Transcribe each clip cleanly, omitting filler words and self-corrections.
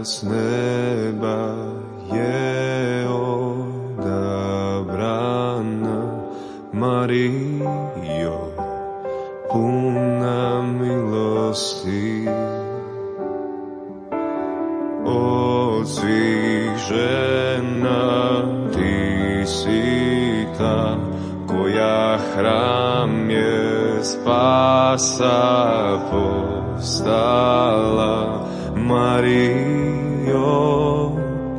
S neba je odabrana, Marijo, puna milosti. Od svih žena ti si ta koja hram je spasa postala, Marijo,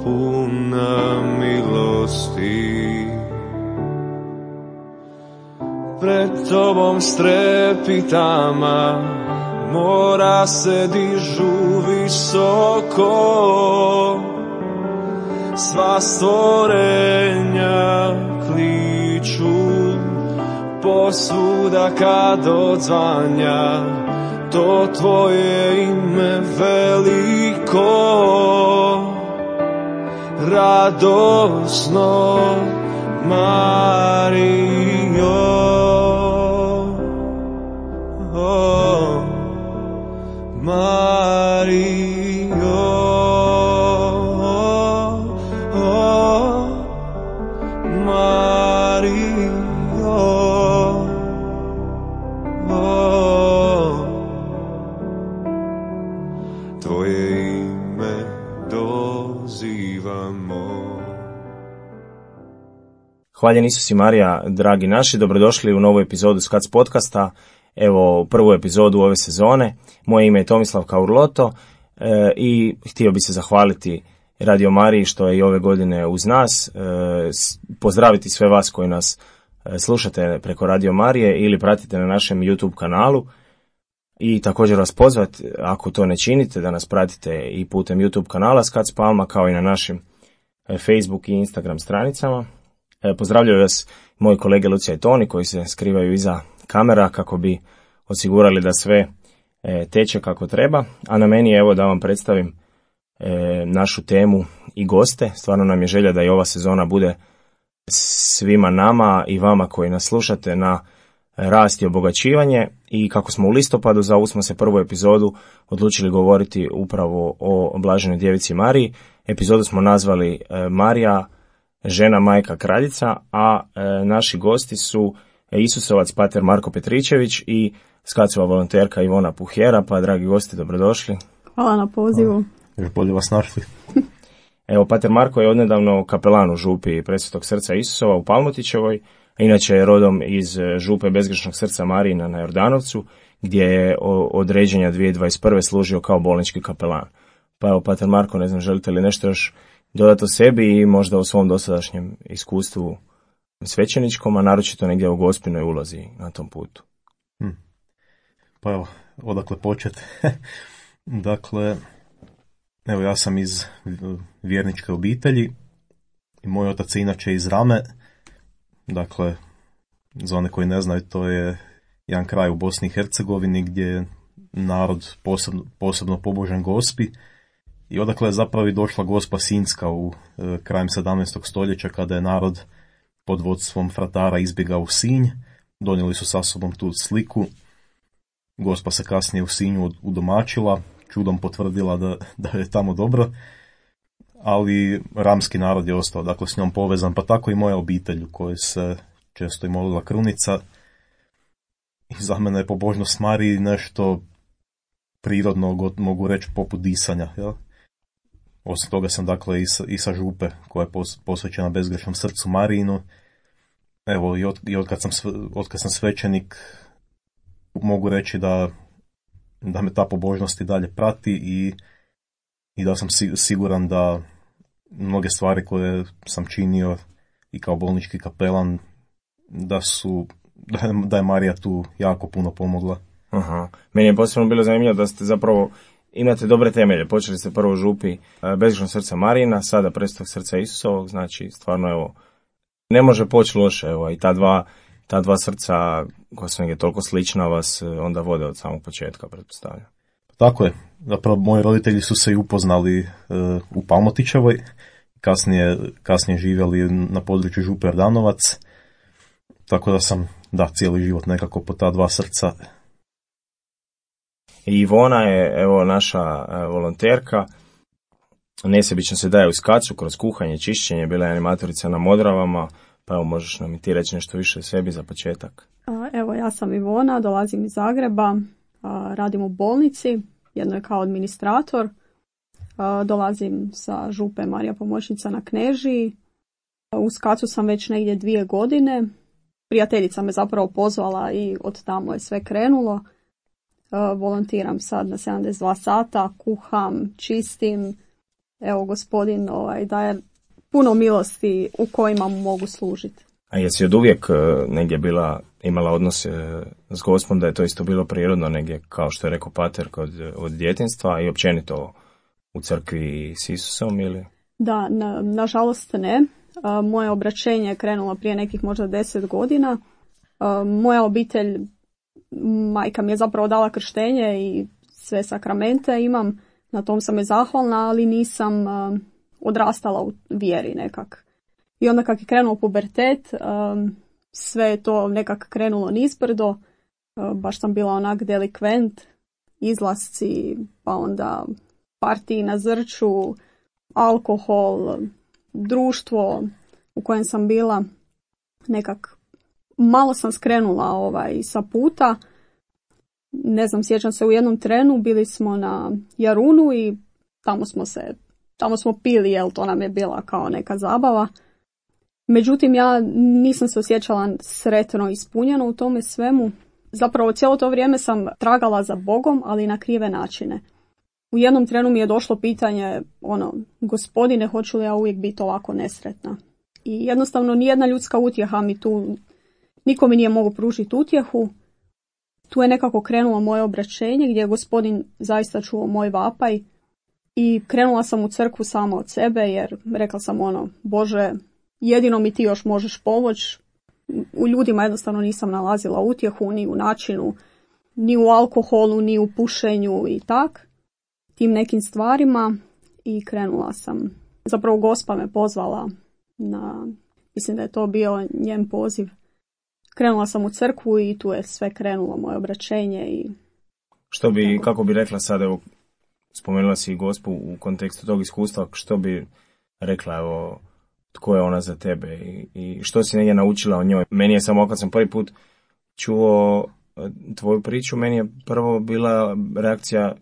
puna milosti. Pred tobom strepitama mora se dižu visoko, sva stvorenja kliču, posvuda kad odzvanja to tvoje ime veliko, radosno, Marijo. Oh, Marijo, oh, Marijo, oh, tvoje ime dozivamo. Hvaljen Isus i Marija, dragi naši, dobrodošli u novu epizodu Skac podcasta. Evo, prvu epizodu ove sezone. Moje ime je Tomislav Kaurloto i htio bi se zahvaliti Radio Mariji što je i ove godine uz nas. Pozdraviti sve vas koji nas slušate preko Radio Marije ili pratite na našem YouTube kanalu. I također vas pozvati, ako to ne činite, da nas pratite i putem YouTube kanala Skac Palma, kao i na našim Facebook i Instagram stranicama. Pozdravljaju vas moji kolege Lucija i Toni koji se skrivaju iza kamera kako bi osigurali da sve teče kako treba. A na meni je evo da vam predstavim našu temu i goste. Stvarno nam je želja da i ova sezona bude svima nama i vama koji nas slušate na rast i obogaćivanje. I kako smo u listopadu za ovu smo se prvu epizodu odlučili govoriti upravo o Blaženoj Djevici Mariji. Epizodu smo nazvali Marija, žena, majka, kraljica, a naši gosti su Isusovac pater Marko Petričević i Skacova volonterka Ivona Puhjera. Pa dragi gosti, dobrodošli. Hvala na pozivu. Još bolje vas našli. Evo, pater Marko je odnedavno kapelan u župi Presvetog srca Isusova u Palmotićevoj, a inače je rodom iz župe Bezgrešnog srca Marijina na Jordanovcu, gdje je od ređenja 2021. služio kao bolnički kapelan. Pa evo, pater Marko, ne znam, želite li nešto još dodati o sebi i možda o svom dosadašnjem iskustvu svećeničkom, a naročito negdje u Gospinoj ulozi na tom putu? Pa evo, odakle početi? Dakle, evo ja sam iz vjerničke obitelji i moj otac je inače iz Rame. Dakle, za one koji ne znaju, to je jedan kraj u Bosni i Hercegovini gdje je narod posebno pobožan Gospi. I odakle je zapravo i došla Gospa Sinjska u krajem 17. stoljeća kada je narod pod vodstvom fratara izbjegao u Sinj. Donijeli su sa sobom tu sliku. Gospa se kasnije u Sinju udomačila, čudom potvrdila da je tamo dobro, ali ramski narod je ostao dakle s njom povezan, pa tako i moja obitelj u kojoj se često i molila krunica. I za mene je pobožnost Mariji nešto prirodno, mogu reći, poput disanja. Ja? Osim toga sam dakle i sa župe koja je posvećena Bezgrešnom srcu Marijinu. Evo, i od kad sam svećenik mogu reći da me ta pobožnost i dalje prati i da sam siguran da mnoge stvari koje sam činio i kao bolnički kapelan da je Marija tu jako puno pomogla. Aha. Meni je posebno bilo zanimljivo da ste zapravo imate dobre temelje. Počeli ste prvo u župi Bezgrešnog srca Marijina, sada Presvetog srca Isusovog, znači stvarno evo ne može poći loše, evo i ta ta dva srca koja su negdje toliko slična vas onda vode od samog početka, pretpostavljam. Tako je. Zapravo moji roditelji su se i upoznali u Palmotićevoj, kasnije živjeli na području Župe Jordanovac, tako da sam cijeli život nekako po ta dva srca. I Ivona je evo naša volonterka, nesebično se daje u Skacu kroz kuhanje, čišćenje, bila je animatorica na Modravama, pa evo možeš nam i ti reći nešto više o sebi za početak. Evo, ja sam Ivona, dolazim iz Zagreba, radim u bolnici, jedno je kao administrator, dolazim sa Župe Marija Pomoćnica na Knežiji. U Skacu sam već negdje 2 godine, prijateljica me zapravo pozvala i od tamo je sve krenulo. Volontiram sad na 72 sata, kuham, čistim. Evo, gospodin daje puno milosti u kojima mu mogu služiti. A jesi od uvijek negdje imala odnos s Gospom, da je to isto bilo prirodno negdje, kao što je rekao pater, od djetinjstva i općenito u crkvi s Isusom, ili? Da, nažalost ne. Moje obraćenje je krenulo prije nekih možda 10 godina. Moja obitelj, majka mi je zapravo dala krštenje i sve sakramente imam, na tom sam je zahvalna, ali nisam odrastala u vjeri nekak. I onda kak je krenuo pubertet, sve je to nekak krenulo nizbrdo, baš sam bila onak delikvent, izlasci, pa onda partiji na Zrću, alkohol, društvo u kojem sam bila, nekak malo sam skrenula sa puta. Ne znam, sjećam se u jednom trenu, bili smo na Jarunu i tamo smo pili, jel to nam je bila kao neka zabava. Međutim, ja nisam se osjećala sretno ispunjeno u tome svemu. Zapravo cijelo to vrijeme sam tragala za Bogom, ali na krive načine. U jednom trenu mi je došlo pitanje, Gospodine, hoću li ja uvijek biti ovako nesretna? I jednostavno nijedna ljudska utjeha mi tu, niko mi nije mogao pružiti utjehu. Tu je nekako krenulo moje obraćenje gdje je Gospodin zaista čuo moj vapaj i krenula sam u crkvu sama od sebe jer rekla sam Bože, jedino mi ti još možeš pomoći. U ljudima jednostavno nisam nalazila utjehu, ni u načinu, ni u alkoholu, ni u pušenju i tim nekim stvarima i krenula sam. Zapravo Gospa me pozvala mislim da je to bio njen poziv. Krenula sam u crkvu i tu je sve krenulo, moje obraćenje. I kako bi rekla sad, evo, spomenula si i Gospu u kontekstu tog iskustva, što bi rekla, evo, tko je ona za tebe i što si negdje naučila o njoj? Meni je samo, kad sam prvi put čuo tvoju priču, meni je prvo bila reakcija,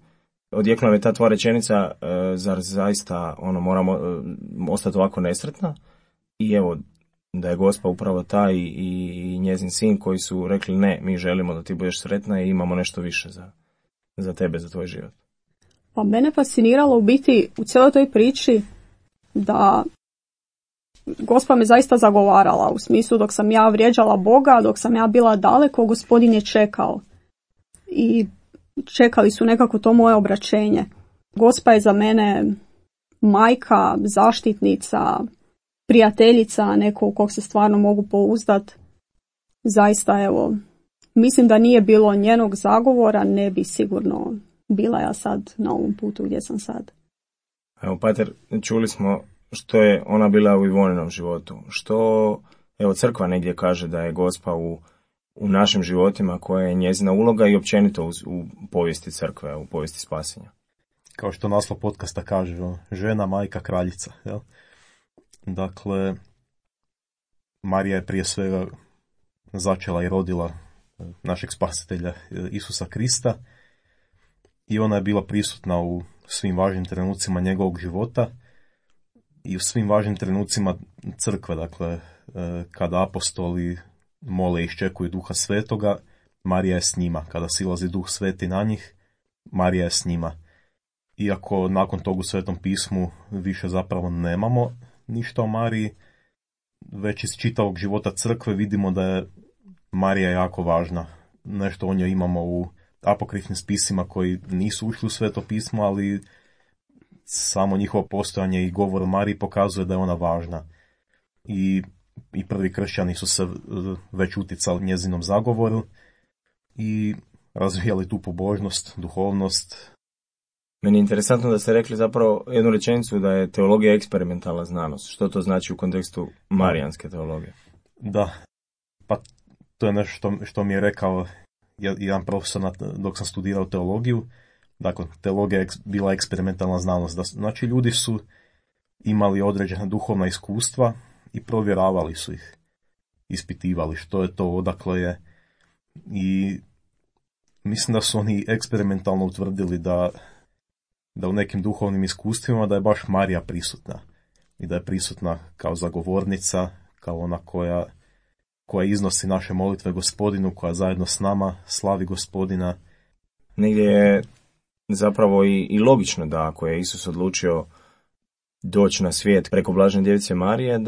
odjeknula je ta tvoja rečenica, zar zaista moramo ostati ovako nesretna? I evo, da je Gospa upravo taj i njezin sin koji su rekli ne, mi želimo da ti budeš sretna i imamo nešto više za tebe, za tvoj život. Pa mene fasciniralo u biti u cijeloj toj priči da Gospa me zaista zagovarala, u smislu dok sam ja vrijeđala Boga, dok sam ja bila daleko, Gospodin je čekao. I čekali su nekako to moje obraćenje. Gospa je za mene majka, zaštitnica, prijateljica, neko u kog se stvarno mogu pouzdat. Zaista, evo, mislim da nije bilo njenog zagovora, ne bi sigurno bila ja sad na ovom putu gdje sam sad. Evo, pater, čuli smo što je ona bila u Ivoninom životu. Što, evo, crkva negdje kaže da je Gospa u našim životima, koja je njezina uloga i općenito u povijesti crkve, u povijesti spasenja. Kao što naslov podcasta kaže, žena, majka, kraljica. Jel? Dakle, Marija je prije svega začela i rodila našeg spasitelja Isusa Krista i ona je bila prisutna u svim važnim trenucima njegovog života i u svim važnim trenucima crkve. Dakle, kada apostoli mole i iščekuju Duha Svetoga, Marija je s njima. Kada silazi Duh Sveti na njih, Marija je s njima. Iako nakon tog u Svetom pismu više zapravo nemamo ništa o Mariji, već iz čitavog života crkve vidimo da je Marija jako važna. Nešto o njoj imamo u apokrifnim spisima koji nisu ušli u Sveto pismo, ali samo njihovo postojanje i govor o Mariji pokazuje da je ona važna. I i prvi kršćani su se već uticali njezinom zagovoru i razvijali tu pobožnost, duhovnost. Meni je interesantno da ste rekli zapravo jednu rečenicu da je teologija eksperimentalna znanost. Što to znači u kontekstu marijanske teologije? Da, pa to je nešto što mi je rekao jedan profesor dok sam studirao teologiju. Dakle, teologija je bila eksperimentalna znanost. Znači, ljudi su imali određena duhovna iskustva i provjeravali su ih, ispitivali što je to, odakle je. I mislim da su oni eksperimentalno utvrdili da u nekim duhovnim iskustvima da je baš Marija prisutna. I da je prisutna kao zagovornica, kao ona koja iznosi naše molitve Gospodinu, koja zajedno s nama slavi Gospodina. Negdje je zapravo i logično da ako je Isus odlučio doći na svijet preko Blažene Djevice Marije,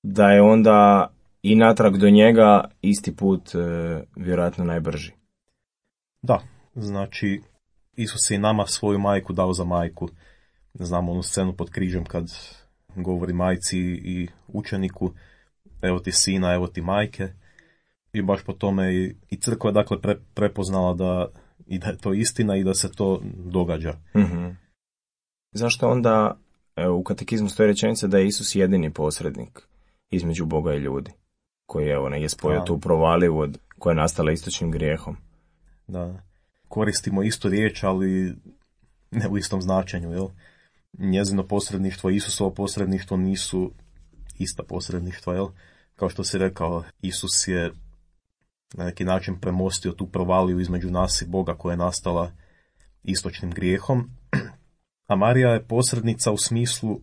da je onda i natrag do njega isti put vjerojatno najbrži. Da, znači Isus je i nama svoju majku dao za majku. Znamo onu scenu pod križem kad govori majci i učeniku, evo ti sina, evo ti majke. I baš po tome i crkva je dakle prepoznala da je to istina i da se to događa. Mm-hmm. Zašto onda u katekizmu stoji rečenica da je Isus jedini posrednik između Boga i ljudi, koji je spojio tu provaliju koja je nastala istočnim grijehom? Da, koristimo istu riječ, ali ne u istom značenju, jel? Njezino posredništvo i Isusovo posredništvo nisu ista posredništva, jel? Kao što si rekao, Isus je na neki način premostio tu provaliju između nas i Boga koja je nastala istočnim grijehom. A Marija je posrednica u smislu,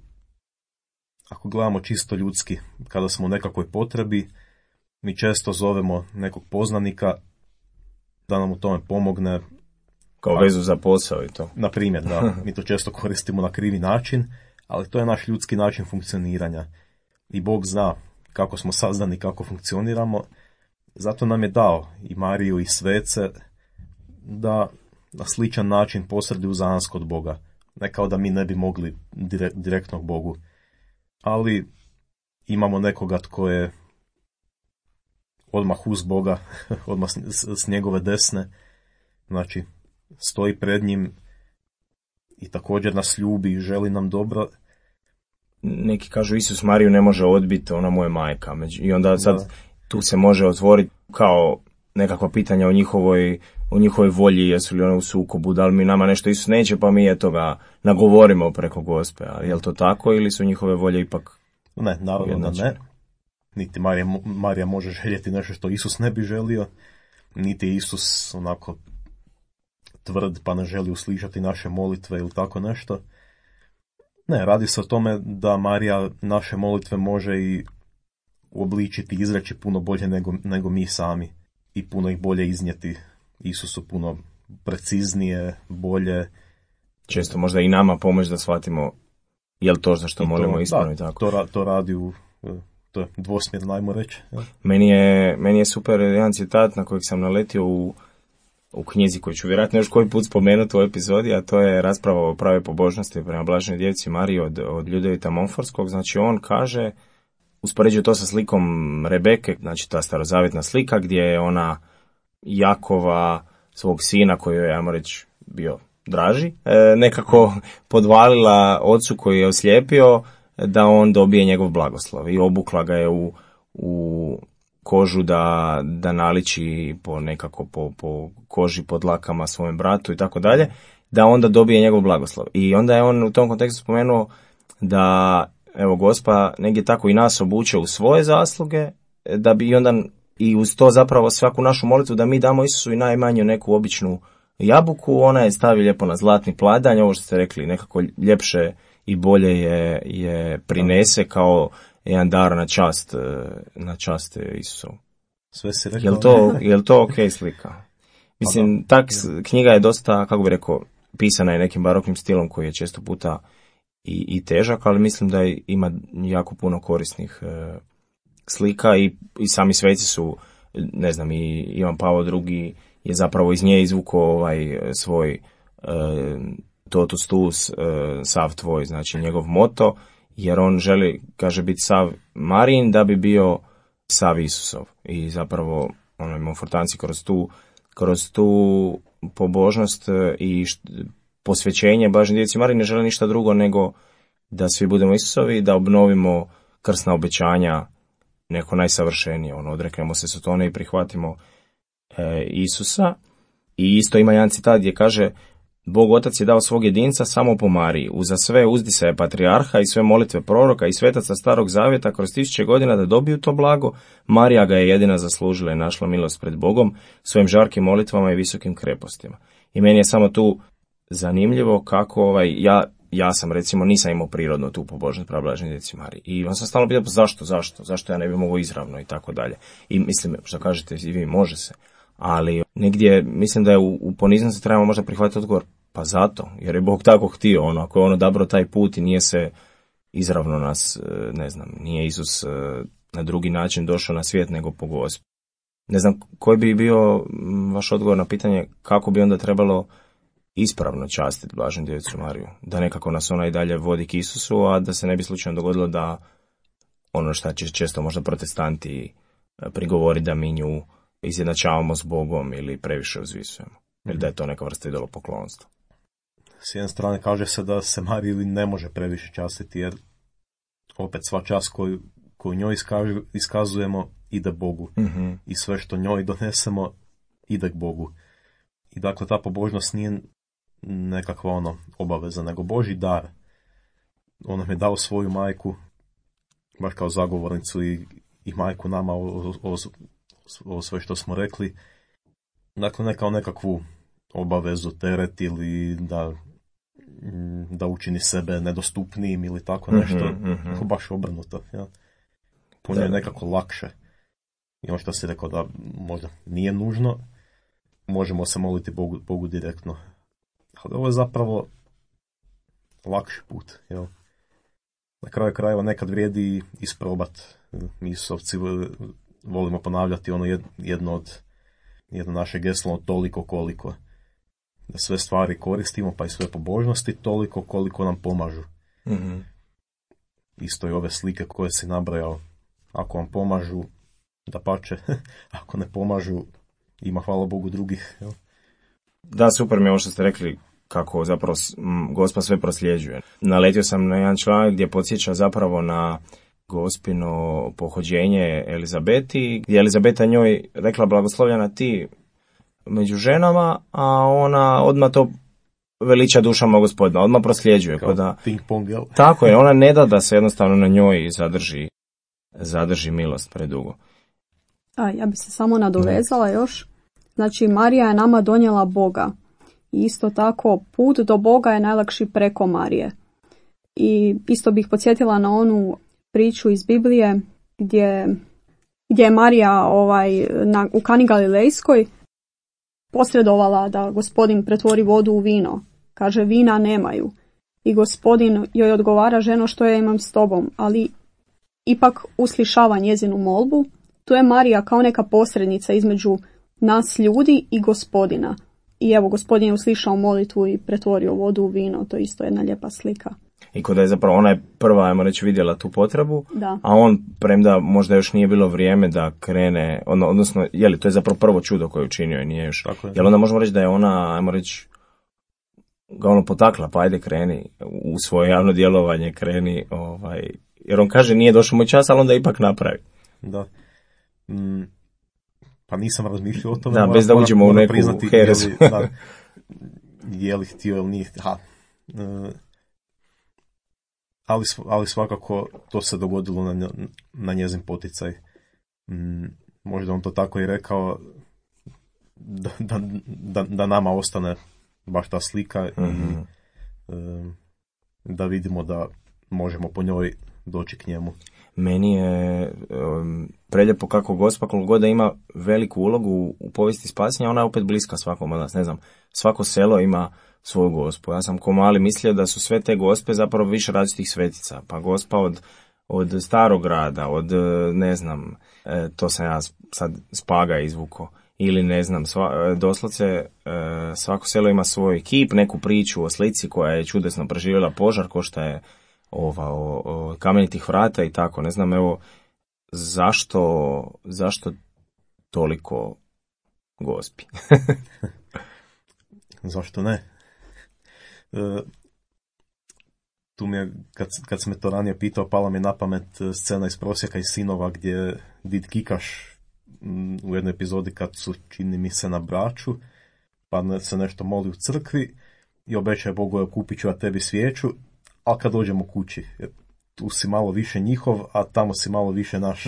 ako gledamo čisto ljudski, kada smo u nekakvoj potrebi, mi često zovemo nekog poznanika da nam u tome pomogne. Kao vezu za posao i to. Na primjer, da, mi to često koristimo na krivi način, ali to je naš ljudski način funkcioniranja. I Bog zna kako smo sazdani, kako funkcioniramo, zato nam je dao i Mariju i svece da na sličan način posreduju za nas kod Boga. Ne kao da mi ne bi mogli direktno k Bogu, ali imamo nekoga tko je odmah uz Boga, odmah s njegove desne, znači stoji pred njim i također nas ljubi i želi nam dobro. Neki kažu Isus Mariju ne može odbiti, ona mu je majka. I onda sad tu se može otvoriti kao nekakva pitanja o njihovoj volji, jesu li one u sukobu, da li mi nama nešto Isus neće, pa mi ga nagovorimo preko Gospe. A je li to tako ili su njihove volje ipak? Ne, naravno da ne. Niti Marija može željeti nešto što Isus ne bi želio, niti Isus onako tvrd pa ne želi uslišati naše molitve ili tako nešto. Ne, radi se o tome da Marija naše molitve može i uobličiti, izreći puno bolje nego mi sami i puno ih bolje iznijeti Isusu, puno preciznije, bolje. Često možda i nama pomoći da shvatimo je li to za što molimo ispravno i tako. To radi to je dvosmjerno, ajmo reći. Ja. Meni je super jedan citat na kojeg sam naletio u knjizi koju ću vjerojatno još koji put spomenuti u epizodi, a to je rasprava o pravoj pobožnosti prema Blaženoj Djevici Mariji od Ljudevita Monforskog. Znači on kaže, uspoređuje to sa slikom Rebeke, znači ta starozavjetna slika gdje je ona Jakova, svog sina koji je, ajmo reći, bio draži, nekako podvalila ocu koji je oslijepio da on dobije njegov blagoslov i obukla ga je u kožu da naliči po koži pod dlakama svojem bratu i tako dalje, da onda dobije njegov blagoslov. I onda je on u tom kontekstu spomenuo da evo Gospa negdje tako i nas obuče u svoje zasluge, da bi onda i uz to zapravo svaku našu molitvu da mi damo Isusu i najmanju neku običnu jabuku, ona je stavi lijepo na zlatni pladanj, ovo što ste rekli, nekako ljepše i bolje je prinese kao jedan dar na čast Isusovu. Sve si rekao. Je li to ok slika? Mislim, ta knjiga je dosta, kako bi rekao, pisana je nekim baroknim stilom koji je često puta i težak, ali mislim da ima jako puno korisnih slika i sami sveci su, ne znam, i Ivan Pavao II je zapravo iz nje izvukao svoj totus tuus, sav tvoj, znači njegov moto, jer on želi, kaže, biti sav Marijin da bi bio sav Isusov. I zapravo Monfortanci kroz tu pobožnost i posvećenje Blaženoj Djevici Mariji ne žele ništa drugo nego da svi budemo Isusovi, da obnovimo krsna obećanja neko najsavršenije, odreknemo se Sotone i prihvatimo Isusa. I isto ima jedan citat gdje kaže: Bog Otac je dao svog jedinca samo po Mariji, uza sve uzdisaje patrijarha i sve molitve proroka i svetaca Starog Zavjeta kroz 1000 godina da dobiju to blago. Marija ga je jedina zaslužila i našla milost pred Bogom svojim žarkim molitvama i visokim krepostima. I meni je samo tu zanimljivo kako ja sam recimo nisam imao prirodno tu pobožnost prema Blaženoj Djevici Mariji. I on sam stalno pitao zašto ja ne bi mogao izravno i tako dalje. I mislim, što kažete i vi, može se. Ali negdje mislim da je u poniznosti trebamo možda prihvatiti odgovor, pa zato, jer je Bog tako htio, ako je on odabrao taj put i nije se izravno nas, nije Isus na drugi način došao na svijet nego po Gospi. Ne znam koji bi bio vaš odgovor na pitanje kako bi onda trebalo ispravno častiti Blaženu Djevicu Mariju, da nekako nas ona i dalje vodi k Isusu, a da se ne bi slučajno dogodilo da ono što će često možda protestanti prigovori da mi nju izjednačavamo s Bogom ili previše uzvisujemo, ili da je to neka vrsta idolopoklonstva. S jedne strane kaže se da se Mariji ne može previše častiti, jer opet sva čast koju njoj iskazujemo ide Bogu. Mm-hmm. I sve što njoj donesemo ide k Bogu. I dakle ta pobožnost nije nekakva obaveza, nego Božji dar. On nam je dao svoju majku, baš kao zagovornicu i majku nama o sve što smo rekli. Dakle, ne kao nekakvu obavezu, teret ili da učini sebe nedostupnijim ili tako nešto, mm-hmm. baš obrnuto. Ja. Puno je nekako lakše. I ono što si rekao da možda nije nužno, možemo se moliti Bogu direktno. Ali ovo je zapravo lakši put. Jel? Na kraju krajeva nekad vrijedi isprobat. Mi Isusovci volimo ponavljati jedno naše geslo, toliko koliko. Da sve stvari koristimo, pa i sve pobožnosti, toliko koliko nam pomažu. Mm-hmm. Isto i ove slike koje si nabrajao. Ako vam pomažu, dapače, ako ne pomažu, ima hvala Bogu drugih. Jel? Da, super mi je ovo što ste rekli, kako zapravo Gospa sve prosljeđuje. Naletio sam na jedan članak gdje podsjeća zapravo na Gospino pohođenje Elizabeti, gdje Elizabeta njoj rekla blagoslovljena ti među ženama, a ona odmah to veliča dušama Gospodina, odmah prosljeđuje. Kao ping pong, jel? Tako je, ona ne da se jednostavno na njoj zadrži milost predugo. Ja bi se samo nadovezala još. Znači, Marija je nama donijela Boga. I isto tako, put do Boga je najlakši preko Marije. I isto bih podsjetila na onu priču iz Biblije gdje je Marija u Kani Galilejskoj posredovala da Gospodin pretvori vodu u vino. Kaže, vina nemaju. I Gospodin joj odgovara, ženo, što ja imam s tobom, ali ipak uslišava njezinu molbu. Tu je Marija kao neka posrednica između nas ljudi i Gospodina. I evo, Gospodin je uslišao molitvu i pretvorio vodu u vino. To je isto jedna lijepa slika. I kod je zapravo ona je prva, ajmo reći, vidjela tu potrebu, da. A on, premda možda još nije bilo vrijeme da krene, odnosno, to je zapravo prvo čudo koje je učinio i nije još. Jel onda možemo reći da je ona, ajmo reći, ga potakla, pa ajde kreni u svoje javno djelovanje, kreni, jer on kaže nije došao moj čas, ali onda ipak napravi. Da. Pa nisam razmišljao o tome. Da, bez da uđemo u neku herezu. Je li htio ili nije htio. Ali svakako to se dogodilo na njezin poticaj. Možda on to tako i rekao da nama ostane baš ta slika mm-hmm. i da vidimo da možemo po njoj doći k njemu. Meni je preljepo kako Gospa, koliko god da ima veliku ulogu u povijesti spasenja, ona je opet bliska svakom od nas. Ne znam, svako selo ima svoju Gospu. Ja sam ko mali mislio da su sve te Gospe zapravo više različitih svetica. Pa Gospa od Starog grada, od ne znam, to sam ja sad Spaga izvuko. Ili ne znam, doslovce svako selo ima svoj kip, neku priču o slici koja je čudesno preživjela požar, ko što je o kamenitih vrata i tako, ne znam, evo, zašto toliko Gospi? Zašto ne? Tu mi je, kad sam me to ranije pitao, pala mi je na pamet scena iz Prosjeka i sinova gdje Did Kikaš u jednoj epizodi kad su, čini mi se, na Braču, pa se nešto moli u crkvi i obećaje Bogu, evo kupit ću ja tebi svijeću, a kad dođemo kući, tu si malo više njihov, a tamo si malo više naš.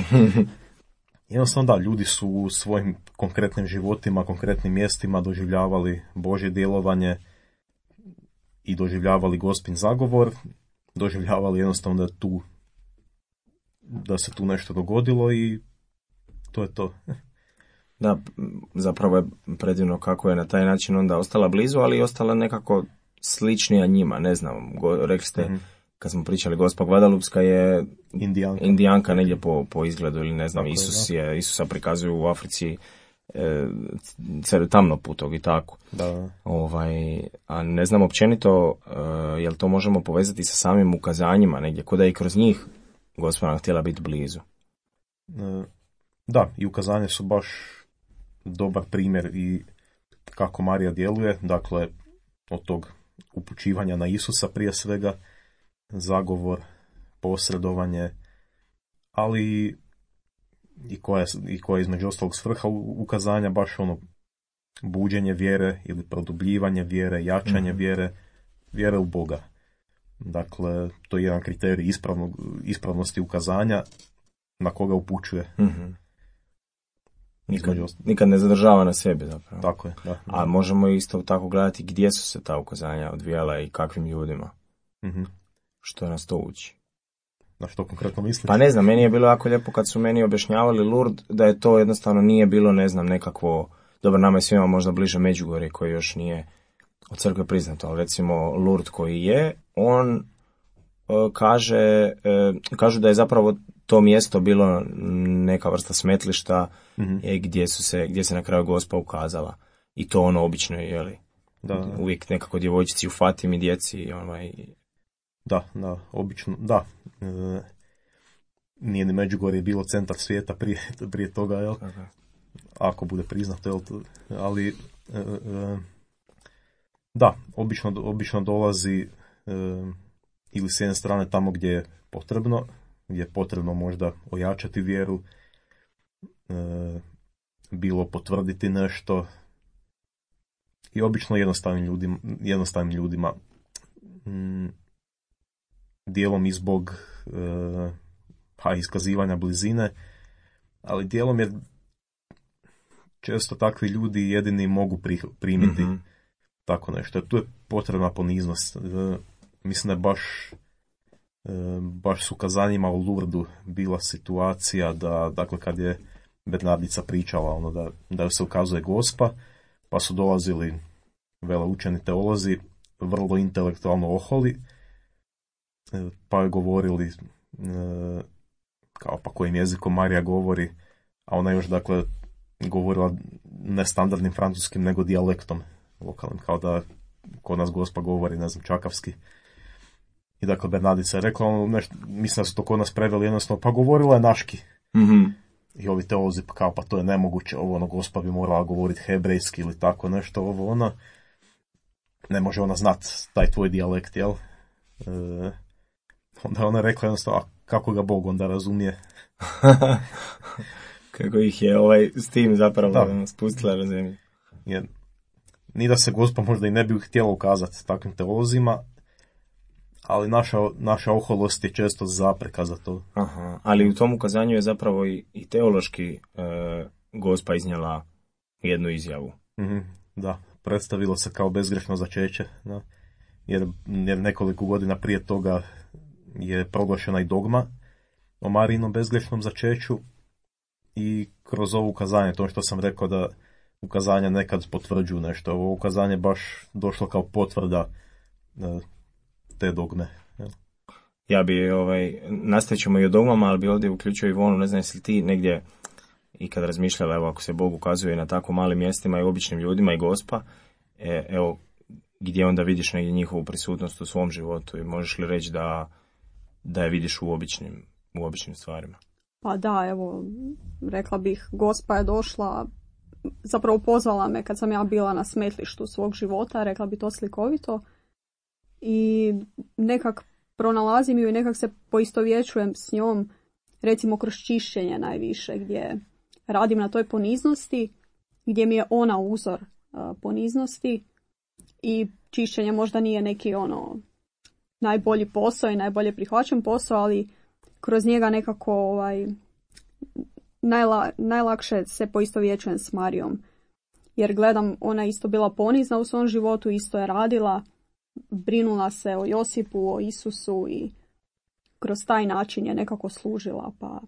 Jednostavno da, ljudi su u svojim konkretnim životima, konkretnim mjestima doživljavali Božje djelovanje i doživljavali Gospin zagovor, doživljavali jednostavno da se tu nešto dogodilo i to je to. Da, zapravo je predivno kako je na taj način onda ostala blizu, ali i ostala nekako sličnija njima, ne znam, rekli ste, kad smo pričali, Gospa Guadalupska je indijanka negdje po izgledu ili ne znam, Isusa prikazuju u Africi tamnoputog i tako. Da. A ne znam općenito, jel to možemo povezati sa samim ukazanjima negdje, kod da i kroz njih Gospa nam htjela biti blizu. Da, i ukazanje su baš dobar primjer i kako Marija djeluje, dakle od tog upućivanja na Isusa prije svega, zagovor, posredovanje, ali i koja je između ostalog svrha ukazanja, baš ono buđenje vjere ili produbljivanje vjere, jačanje vjere u Boga. Dakle, to je jedan kriterij ispravnosti ukazanja na koga upućuje. Nikad ne zadržava na sebi zapravo. Tako je, da. A možemo isto tako gledati gdje su se ta ukazanja odvijala i kakvim ljudima. Što nas to uči. Na što konkretno misliš? Pa ne znam, meni je bilo jako lijepo kad su meni objašnjavali Lourdes, da je to jednostavno nije bilo, ne znam, nekakvo, dobro, nama je svima možda bliže Međugorje koje još nije od crkve priznato, ali recimo Lourdes koji je, on kažu da je zapravo to mjesto bilo neka vrsta smetlišta gdje se na kraju Gospa ukazala. I to ono obično je, jeli? Da. Uvijek nekako djevojčici u Fatimi, djeci, Da, obično, da. Nije ni Međugorje bilo centar svijeta prije toga, jel? Okay. Ako bude priznato, jel? Ali, da, obično dolazi ili s jedne strane tamo gdje je potrebno možda ojačati vjeru, bilo potvrditi nešto i obično jednostavnim ljudima dijelom i zbog iskazivanja blizine, ali dijelom jer često takvi ljudi jedini mogu primiti tako nešto. Tu je potrebna poniznost. Mislim da je baš s ukazanjima u Lourdesu bila situacija da, dakle, kad je Bernardica pričala da joj se ukazuje Gospa, pa su dolazili veleučeni teolozi, vrlo intelektualno oholi, pa je govorili kao pa kojim jezikom Marija govori, a ona još dakle govorila ne standardnim francuskim nego dijalektom lokalnim, kao da kod nas Gospa govori, ne znam, čakavski. I dakle Bernardica je rekla, mislim da su to kod nas preveli jednostavno, pa govorila je naški. I ovi teolozi kao, pa to je nemoguće, Gospa bi morala govoriti hebrejski ili tako nešto, ne može ona znat taj tvoj dijalekt, jel? Onda ona rekla jednostavno, a kako ga Bog onda razumije? Kako ih je s tim zapravo spustila na zemlji. Ni da se Gospa možda i ne bi htjela ukazati takvim teolozima, ali naša oholost je često zapreka za to. Aha, ali u tom ukazanju je zapravo i teološki Gospa iznijela jednu izjavu. Da, predstavilo se kao bezgrešno začeće, da. Jer nekoliko godina prije toga je proglašena i dogma o Marijinom bezgrešnom začeću i kroz ovo ukazanje, to što sam rekao da ukazanja nekad potvrđuju nešto, ovo ukazanje baš došlo kao potvrda te dogme. Ja bi, nastavit ćemo i o dogmama, ali bi ovdje uključio Ivonu, ne znam jesi li ti negdje i kad razmišljala, evo ako se Bog ukazuje na tako malim mjestima i običnim ljudima i Gospa, evo gdje onda vidiš negdje njihovu prisutnost u svom životu i možeš li reći da da je vidiš u običnim stvarima? Pa da, evo, rekla bih, Gospa je došla, zapravo pozvala me kad sam ja bila na smetlištu svog života, rekla bi to slikovito, i nekak pronalazim ju i nekak se poistovjećujem s njom, recimo kroz čišćenje najviše, gdje radim na toj poniznosti, gdje mi je ona uzor poniznosti, i čišćenje možda nije neki najbolji posao i najbolje prihvaćen posao, ali kroz njega nekako najlakše se poistovjećujem s Marijom. Jer gledam, ona isto bila ponizna u svom životu, isto je radila, brinula se o Josipu, o Isusu, i kroz taj način je nekako služila. Pa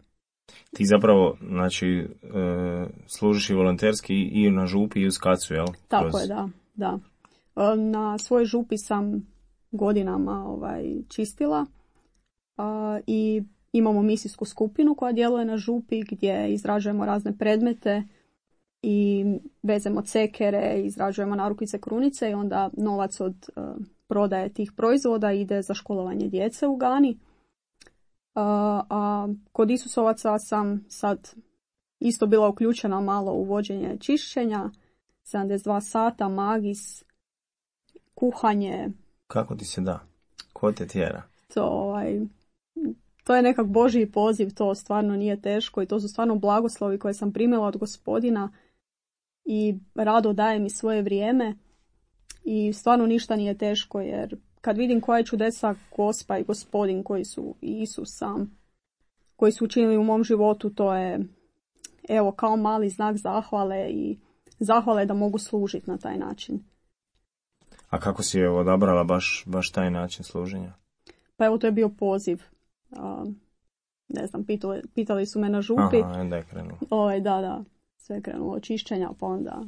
ti zapravo, znači, služiš i volonterski i na župi i u Skacu, jel? Tako je, da. Na svojoj župi sam godinama čistila i imamo misijsku skupinu koja djeluje na župi gdje izrađujemo razne predmete i vezemo cekere, izrađujemo narukvice, krunice, i onda novac od prodaje tih proizvoda ide za školovanje djece u Gani. A kod Isusovaca sam sad isto bila uključena malo u vođenje čišćenja, 72 sata, magis, kuhanje. Kako ti se da? Ko te tjera? To je nekak Božji poziv, to stvarno nije teško i to su stvarno blagoslovi koje sam primila od Gospodina i rado daje mi svoje vrijeme i stvarno ništa nije teško, jer kad vidim koja je čudesa Gospa i Gospodin koji su, i Isus sam, koji su učinili u mom životu, to je evo kao mali znak zahvale i zahvale da mogu služiti na taj način. A kako si je odabrala baš taj način služenja? Pa evo, to je bio poziv. Ne znam, pitali su me na župi. Aha, onda je krenulo. Da, sve je krenulo od čišćenja, pa onda...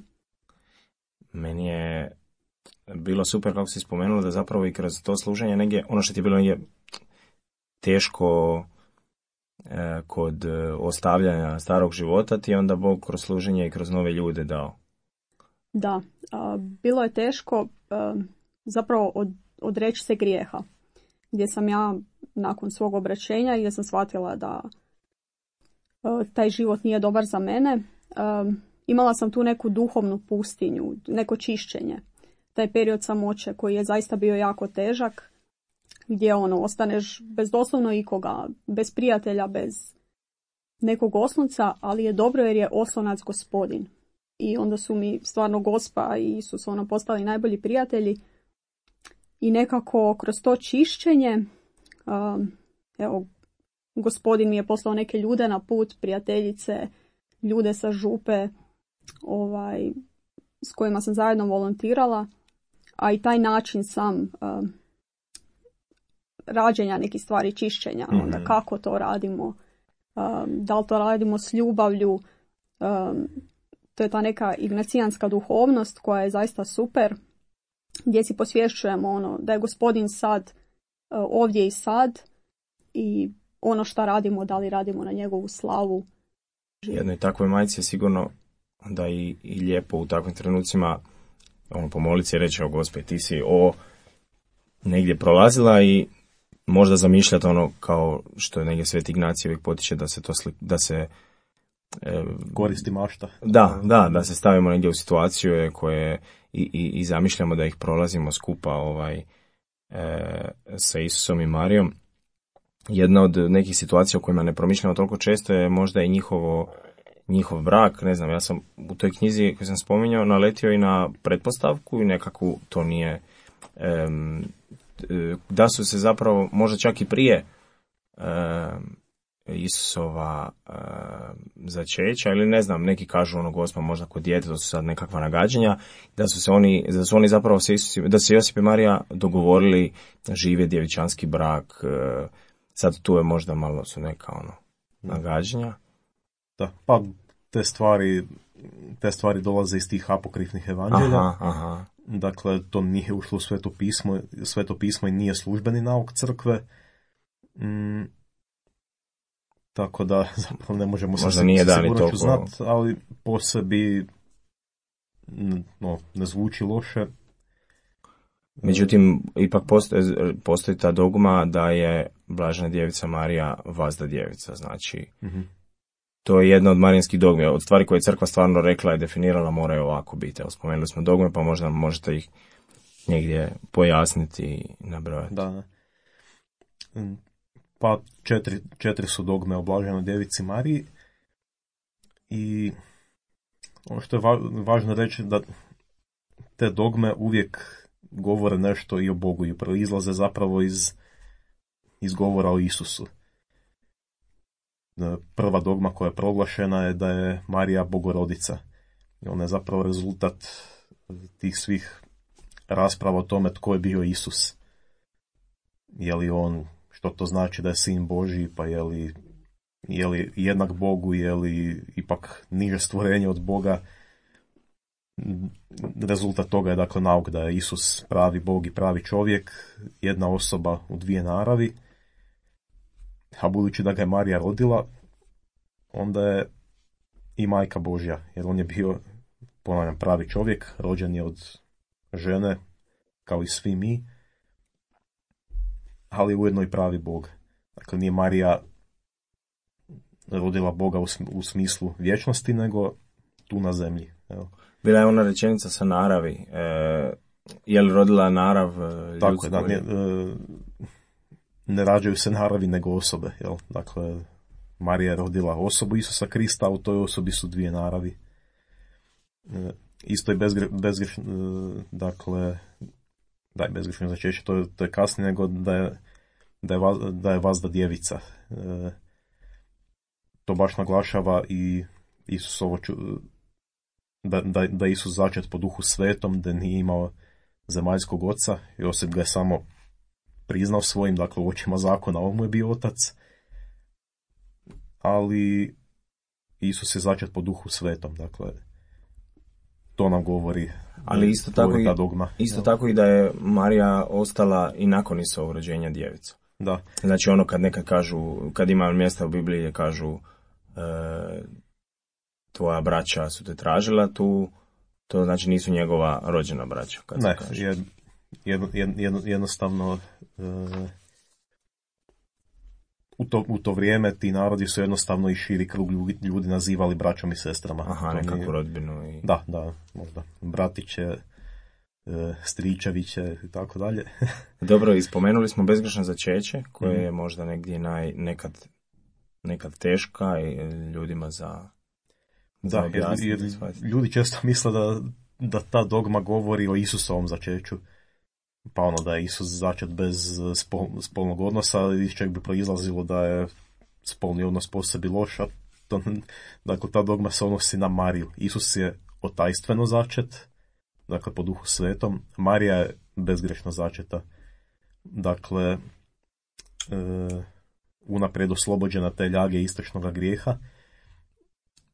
Meni je bilo super kako si spomenula da zapravo i kroz to služenje negdje, ono što ti je bilo negdje teško kod ostavljanja starog života, ti je onda Bog kroz služenje i kroz nove ljude dao. Da, bilo je teško zapravo odreći se grijeha, gdje sam ja nakon svog obraćenja i gdje sam shvatila da taj život nije dobar za mene, imala sam tu neku duhovnu pustinju, neko čišćenje. Taj period samoće koji je zaista bio jako težak, gdje ostaneš bez doslovno ikoga, bez prijatelja, bez nekog oslonca, ali je dobro jer je oslonac Gospodin. I onda su mi stvarno Gospa i Isus postali najbolji prijatelji. I nekako kroz to čišćenje, Gospodin mi je poslao neke ljude na put, prijateljice, ljude sa župe, s kojima sam zajedno volontirala, a i taj način sam rađenja nekih stvari, čišćenja, onda kako to radimo, da li to radimo s ljubavlju, to je ta neka ignacijanska duhovnost koja je zaista super, gdje si posvješćujemo da je Gospodin sad ovdje i sad i ono što radimo, da li radimo na njegovu slavu. Jednoj takvoj majci je sigurno da i lijepo u takvim trenucima pomoliti se i reći, Gospe, ti si negdje prolazila i možda zamišljati kao što je negdje Sveti Ignacij uvijek potiče da se koristi mašta. Da se stavimo negdje u situaciju koje i zamišljamo da ih prolazimo skupa sa Isusom i Marijom. Jedna od nekih situacija o kojima ne promišljamo toliko često je možda i njihov brak. Ne znam, ja sam u toj knjizi koju sam spominjao naletio i na pretpostavku i nekakvu, to nije da su se zapravo možda čak i prije Isusova začeća, ili ne znam, neki kažu Gospa možda kod dijete, to su sad nekakva nagađanja, da su oni zapravo da se Josip i Marija dogovorili žive djevičanski brak. Sad tu je možda malo su neka nagađanja. Da, pa te stvari dolaze iz tih apokrifnih evanđelja. Aha. Dakle, to nije ušlo u Sveto pismo i nije službeni nauk crkve. Tako da zapravo ne možemo se sigurno znati, ali po sebi ne zvuči loše. Međutim, ipak postoji ta dogma da je Blažena djevica Marija vazda djevica, znači to je jedna od marijanskih dogmi. Od stvari koje je crkva stvarno rekla i definirala moraju ovako biti. Evo, spomenuli smo dogme, pa možda možete ih negdje pojasniti i nabrojati. Da. Pa četiri su dogme o Blaženoj djevici Mariji i ono što je važno reći da te dogme uvijek govore nešto i o Bogu i proizlaze zapravo iz govora o Isusu. Prva dogma koja je proglašena je da je Marija Bogorodica. I ona je zapravo rezultat tih svih rasprava o tome tko je bio Isus. Je li on, što to znači da je sin Božji, pa je li jednak Bogu, je li ipak niže stvorenje od Boga. Rezultat toga je dakle nauk da je Isus pravi Bog i pravi čovjek, jedna osoba u dvije naravi, a budući da ga je Marija rodila, onda je i majka Božja, jer on je bio, ponavljam, pravi čovjek, rođen je od žene, kao i svi mi, ali ujedno i pravi Bog. Dakle, nije Marija rodila Boga u smislu vječnosti, nego tu na zemlji. Evo. Bila je ona rečenica sa naravi. Je li rodila narav ljudsku? Tako je, da, ne rađaju se naravi nego osobe. Jel? Dakle, Marija je rodila osobu Isusa Krista, a u toj osobi su dvije naravi. Isto je bezgrešno, dakle, da je bezgrešno začeće, to je kasnije nego da je vazda djevica. To baš naglašava i Isusovo da je Isus začet po Duhu Svetom, da nije imao zemaljskog oca, Josip ga je samo priznao svojim, dakle u očima zakona on mu je bio otac, ali Isus je začet po Duhu Svetom, dakle to nam govori. Ali isto tako i da je Marija ostala i nakon Isusovog rođenja djevica. Da. Znači ono kad nekad kažu, kad ima mjesta u Bibliji kažu tvoja braća su te tražila tu, to znači nisu njegova rođena braća. Kad ne, jednostavno u to vrijeme ti narodi su jednostavno i širi krug ljudi nazivali braćom i sestrama. Aha, nekakvu rodbinu. I... Da, možda. Bratiće, stričeviće i tako dalje. Dobro, i spomenuli smo bezgrešno začeće, koje je možda negdje nekad teška i ljudima za objasniti. Jer ljudi često misle da ta dogma govori o Isusovom začeću. Pa ono da je Isus začet bez spolnog odnosa, iz čeg bi proizlazilo da je spolni odnos po sebi loš. Dakle, ta dogma se odnosi na Mariju. Isus je otajstveno začet, dakle po Duhu Svetom. Marija je bezgrešno začeta. Dakle, unaprijed oslobođena te ljage istočnog grijeha.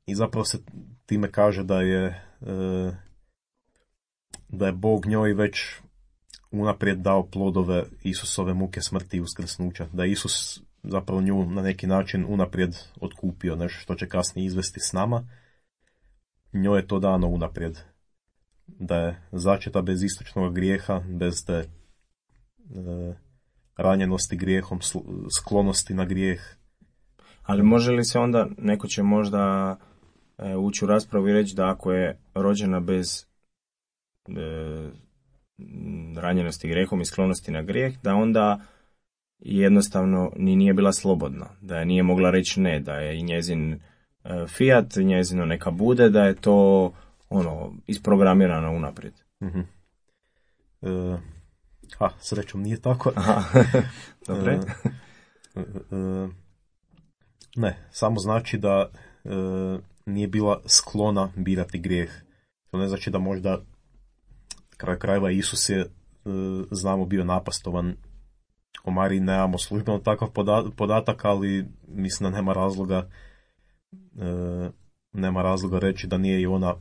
I zapravo se time kaže da je Bog njoj već unaprijed dao plodove Isusove muke, smrti i uskrsnuća. Da je Isus zapravo nju na neki način unaprijed otkupio, nešto što će kasnije izvesti s nama. Njoj je to dano unaprijed. Da je začeta bez istočnog grijeha, bez te ranjenosti grijehom, sklonosti na grijeh. Ali može li se onda, neko će možda ući u raspravu i reći da ako je rođena bez ranjenosti grijehom i sklonosti na grijeh, da onda jednostavno ni nije bila slobodna, da je nije mogla reći ne, da je i njezin fiat, njezino neka bude, da je to isprogramirano unaprijed. Mm-hmm. Srećom nije tako. Dobre. Ne, samo znači da nije bila sklona birati grijeh. To ne znači da možda kraj krajeva Isus je, znamo, bio napastovan. O Mariji nemamo službeno takav podatak, ali mislim da nema razloga reći da nije i ona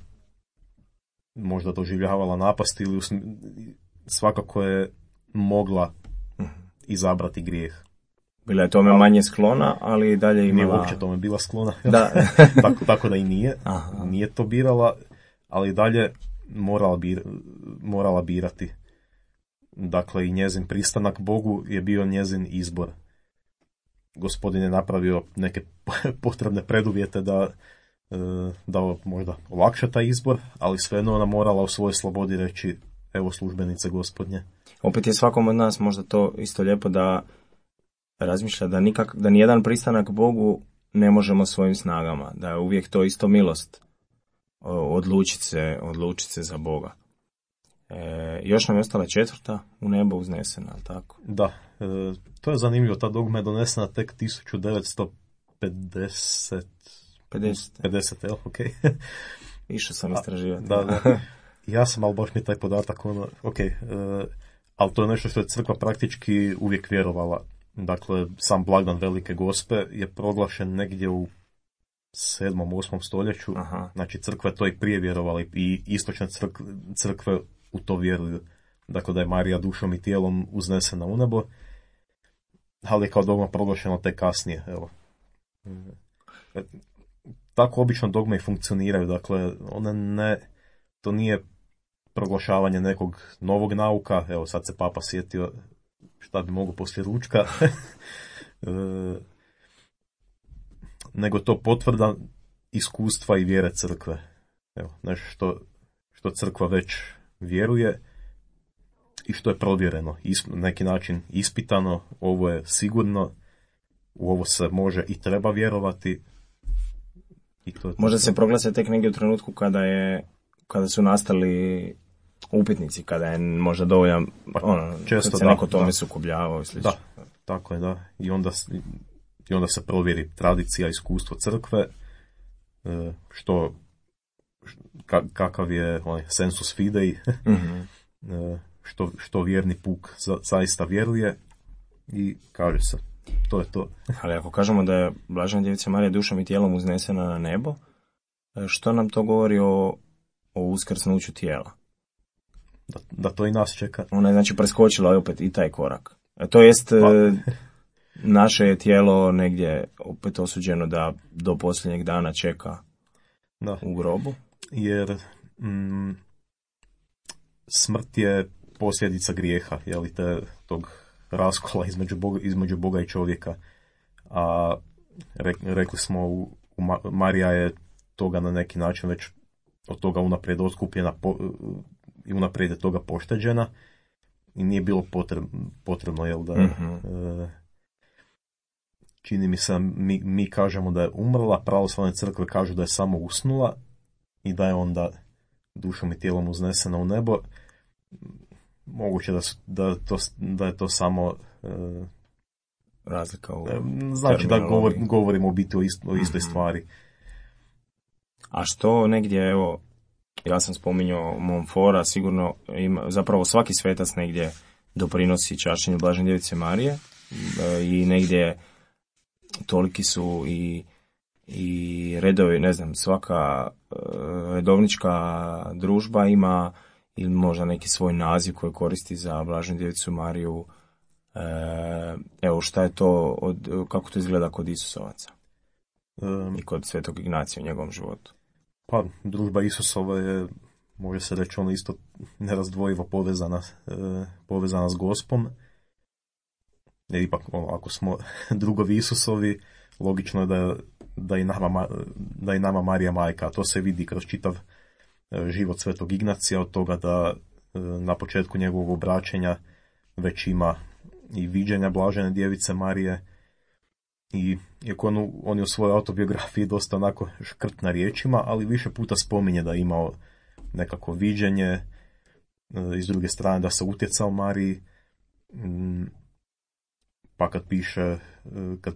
možda doživljavala napast ili svakako je mogla izabrati grijeh. Bila je tome manje sklona, ali dalje imala... Nije uopće tome bila sklona. Da. tako da i nije. Aha. Nije to birala, ali dalje morala birati. dakle i njezin pristanak Bogu je bio njezin izbor. Gospodin je napravio neke potrebne preduvjete da možda olakša taj izbor, ali svejedno ona morala u svojoj slobodi reći evo službenice Gospodnje. Opet je svakom od nas možda to isto lijepo da razmišlja da nijedan pristanak Bogu ne možemo svojim snagama, da je uvijek to isto milost odlučiti se za Boga. Još nam je ostala 4. u nebo uznesena, ali tako? Da, to je zanimljivo, ta dogma je donesena tek 1950. 50, jel? Ok. Išao sam istraživati. Da. Ja sam, ali baš mi taj podatak, ali to je nešto što je crkva praktički uvijek vjerovala. Dakle, sam blagdan Velike Gospe je proglašen negdje u 7. 8. stoljeću. Aha. Znači, crkva je to i prije vjerovala i istočne crkve u to vjeruju. Dakle, da je Marija dušom i tijelom uznesena u nebo, ali je kao dogma proglašeno tek kasnije. Evo. Tako obično dogme i funkcioniraju. Dakle, to nije proglašavanje nekog novog nauka. Evo, sad se Papa sjetio šta bi mogao poslije ručka. Nego to potvrda iskustva i vjere crkve. Evo, nešto što crkva već vjeruje i što je provjereno, na neki način ispitano, ovo je sigurno, u ovo se može i treba vjerovati. I to je možda se proglase tek negdje u trenutku kada su nastali upitnici, kada je možda dovoljan, često kad se neko tome sukobljavao i slično. Da, tako je, da. I onda se provjeri tradicija, iskustvo crkve, kakav je sensus fidei, Mm-hmm. što vjerni puk zaista vjeruje i kaže se, to je to. Ali ako kažemo da je Blažena Djevica Marija dušom i tijelom uznesena na nebo, što nam to govori o uskrsnuću tijela? Da to i nas čeka. Ona je znači preskočila opet i taj korak. To jest, naše je tijelo negdje opet osuđeno da do posljednjeg dana čeka u grobu. Jer smrt je posljedica grijeha, tog raskola između Boga i čovjeka. A rekli smo, Marija je toga na neki način već od toga unaprijed otkupljena i unaprijed je toga pošteđena i nije bilo potrebno da čini mi se, mi kažemo da je umrla, pravoslavne crkve kažu da je samo usnula i da je onda dušom i tijelom uznesena u nebo. Moguće da je to samo razlika u znači da govorimo u biti o istoj stvari. A što negdje, evo, ja sam spominjao Montforta, sigurno zapravo svaki svetac negdje doprinosi čašćenju Blažene Djevice Marije i negdje toliki su i redovi, ne znam, svaka redovnička družba ima ili možda neki svoj naziv koji koristi za Blaženu Djevicu Mariju. Evo, šta je to, kako to izgleda kod Isusovaca i kod Svetog Ignacija u njegovom životu? Pa, družba Isusova je, može se reći, ona isto nerazdvojivo povezana s Gospom. Jer ipak, ako smo drugovi Isusovi, logično je da i nama Marija majka. A to se vidi kroz čitav život Svetog Ignacija, od toga da na početku njegovog obraćenja već ima i viđenja Blažene Djevice Marije. I iako on je u svojoj autobiografiji dosta onako škrt na riječima, ali više puta spominje da je imao nekako viđenje, i s druge strane da se utjecao Mariji, pa kad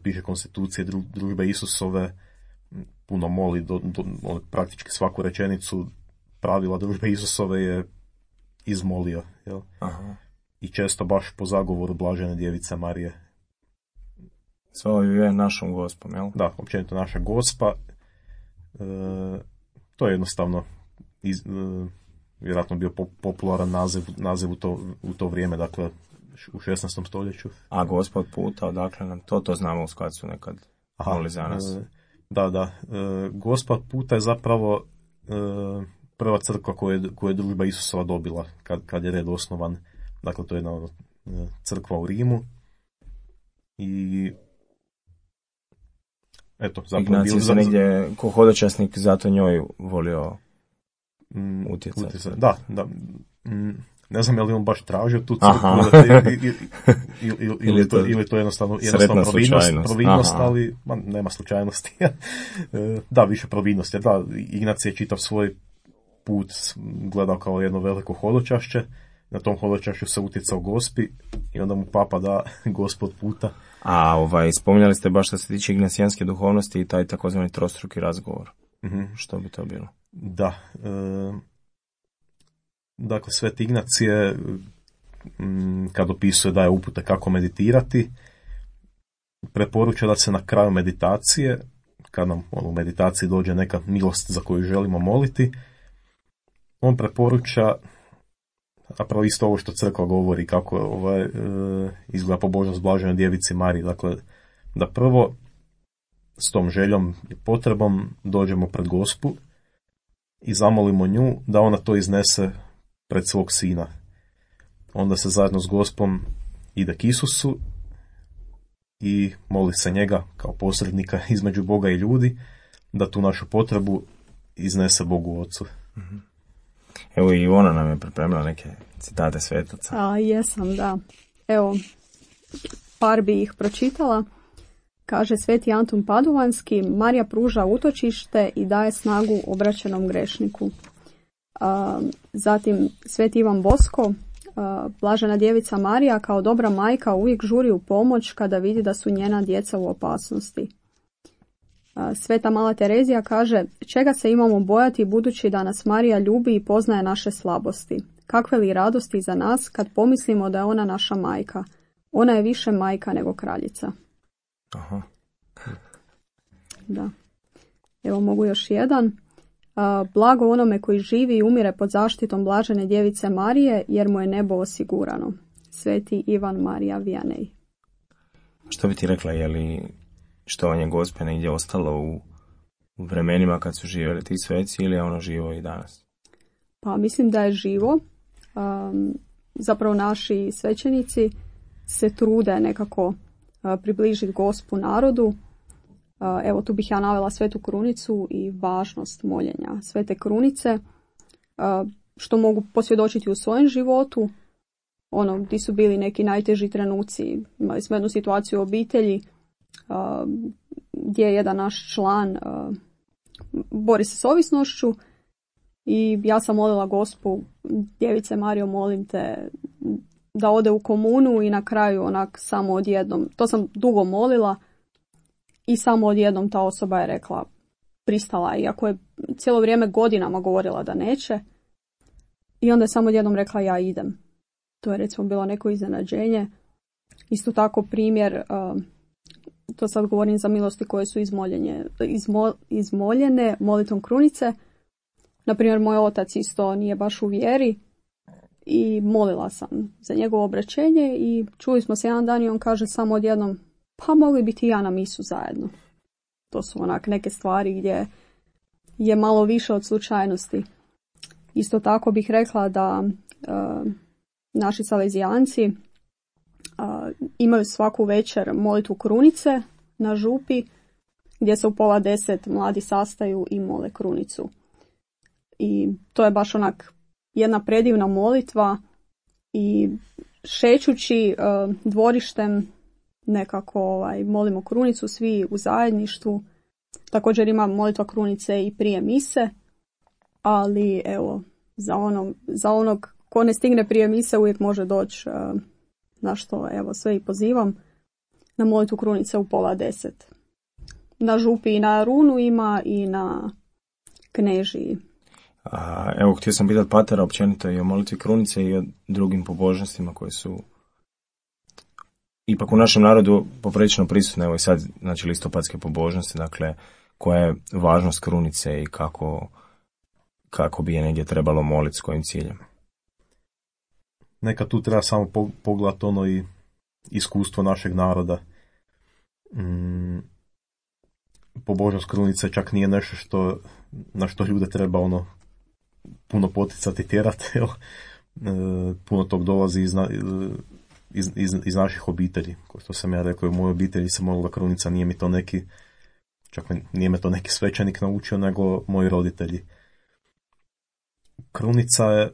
piše konstitucije družbe Isusove, puno moli, praktički svaku rečenicu pravila družbe Isusove je izmolio. Jel? Aha. I često baš po zagovoru Blažene Djevice Marije. Svoju je našom Gospom, jel? Da, općenito naša Gospa. To je jednostavno vjerojatno bio popularan naziv u to vrijeme, dakle u 16. stoljeću. A Gospa od puta, odakle nam to znamo u Skacu nekad moli za nas. Da. Gospa od puta je zapravo prva crkva koju je družba Isusova dobila kad je red osnovan. Dakle, to je jedna crkva u Rimu. I eto, zapravo Ignacij se negdje ko hodočasnik zato njoj volio utjecati. Da. Ne znam je li on baš tražio tu crkvu ili to jednostavno providnost, ali nema slučajnosti. Da, više providnosti. Da, Ignacij je čitav svoj put gledao kao jedno veliko hodočašće. Na tom hodočašću se utjecao Gospi i onda mu papa da Gospod puta. A spominjali ste baš što se tiče ignacijanske duhovnosti i taj takozvani trostruki razgovor. Što bi to bilo? Da. Dakle, Sveti Ignacije kad opisuje daje upute kako meditirati, preporuča da se na kraju meditacije, kad nam u meditaciji dođe neka milost za koju želimo moliti, on preporuča, zapravo isto ovo što crkva govori, kako izgleda pobožnost blaženoj djevici Mariji. Dakle, da prvo s tom željom i potrebom dođemo pred Gospu i zamolimo nju da ona to iznese pred svog sina. Onda se zajedno s Gospom ide k Isusu i moli se njega kao posrednika između Boga i ljudi da tu našu potrebu iznese Bogu Ocu. Evo i ona nam je pripremila neke citate svetaca. Jesam, da. Evo, par bi ih pročitala. Kaže Sveti Antun Paduvanski, Marija pruža utočište i daje snagu obraćenom grešniku. Zatim Sveti Ivan Bosko, blažena djevica Marija kao dobra majka uvijek žuri u pomoć kada vidi da su njena djeca u opasnosti. Sveta Mala Terezija kaže, čega se imamo bojati budući da nas Marija ljubi i poznaje naše slabosti. Kakve li radosti za nas kad pomislimo da je ona naša majka. Ona je više majka nego kraljica. Aha. Da. Evo mogu još jedan. Blago onome koji živi i umire pod zaštitom blažene djevice Marije, jer mu je nebo osigurano. Sveti Ivan Marija Vianney. Što bi ti rekla, je li štovanje Gospe negdje ostalo u vremenima kad su živjeli ti sveci ili je ono živo i danas? Pa mislim da je živo. Zapravo naši svećenici se trude nekako približiti Gospu narodu. Evo tu bih ja navela Svetu Krunicu i važnost moljenja Svete Krunice, što mogu posvjedočiti u svojem životu, gdje su bili neki najteži trenuci. Imali smo jednu situaciju u obitelji gdje je jedan naš član bori se s ovisnošću i ja sam molila Gospu, djevice Marijo, molim te da ode u komunu i na kraju samo odjednom, to sam dugo molila, i samo odjednom ta osoba je rekla, pristala, iako je cijelo vrijeme godinama govorila da neće. I onda je samo odjednom rekla, ja idem. To je recimo bilo neko iznenađenje. Isto tako primjer, to sad govorim za milosti koje su izmoljene molitvom krunice. Naprimjer, moj otac isto nije baš u vjeri i molila sam za njegovo obraćenje i čuli smo se jedan dan i on kaže samo odjednom, pa mogli biti i ja na misu zajedno. To su neke stvari gdje je malo više od slučajnosti. Isto tako bih rekla da naši salezijanci imaju svaku večer molitvu krunice na župi, gdje se u 9:30 mladi sastaju i mole krunicu. I to je baš jedna predivna molitva i šećući dvorištem nekako molimo krunicu svi u zajedništvu. Također ima molitva krunice i prije mise, ali evo za onog ko ne stigne prije mise uvijek može doći, na što evo sve i pozivam, na molitvu krunice u 9:30. Na župi i na runu ima i na knežiji. Evo, htio sam pitati patera općenito i o molitvi krunice i o drugim pobožnostima koje su ipak u našem narodu poprilično prisutne. Evo i sad, znači, listopadske pobožnosti, dakle, koja je važnost krunice i kako bi je negdje trebalo moliti, s kojim ciljem. Neka tu treba samo pogledati i iskustvo našeg naroda. Pobožnost krunice čak nije nešto na što ljude treba puno poticati, tjerati. puno tog dolazi iz naših obitelji. Kao što sam ja rekao, u mojoj obitelji se molila krunica, nije me to neki svećenik naučio, nego moji roditelji. Krunica je,